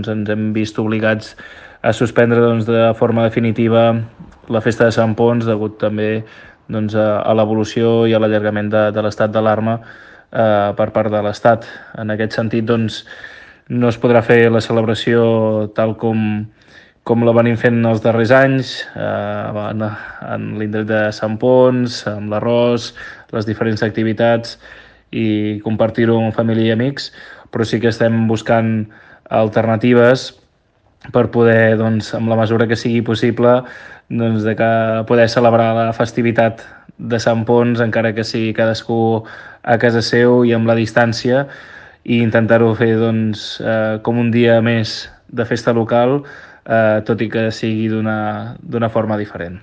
ens hem vist obligats a suspendre de forma definitiva la festa de Sant Ponç degut també a l'evolució i a l'allargament de l'estat d'alarma per part de l'Estat. En aquest sentit, no es podrà fer la celebració tal com la venim fent els darrers anys, en l'indret de Sant Ponç, amb l'arròs, les diferents activitats i compartir-ho amb família i amics, però sí que estem buscant alternatives per poder, amb la mesura que sigui possible, de que poder celebrar la festivitat de Sant Ponç, encara que sigui cadascú a casa seu i amb la distància, i intentar-ho fer com un dia més de festa local, tot i que sigui d'una forma diferent.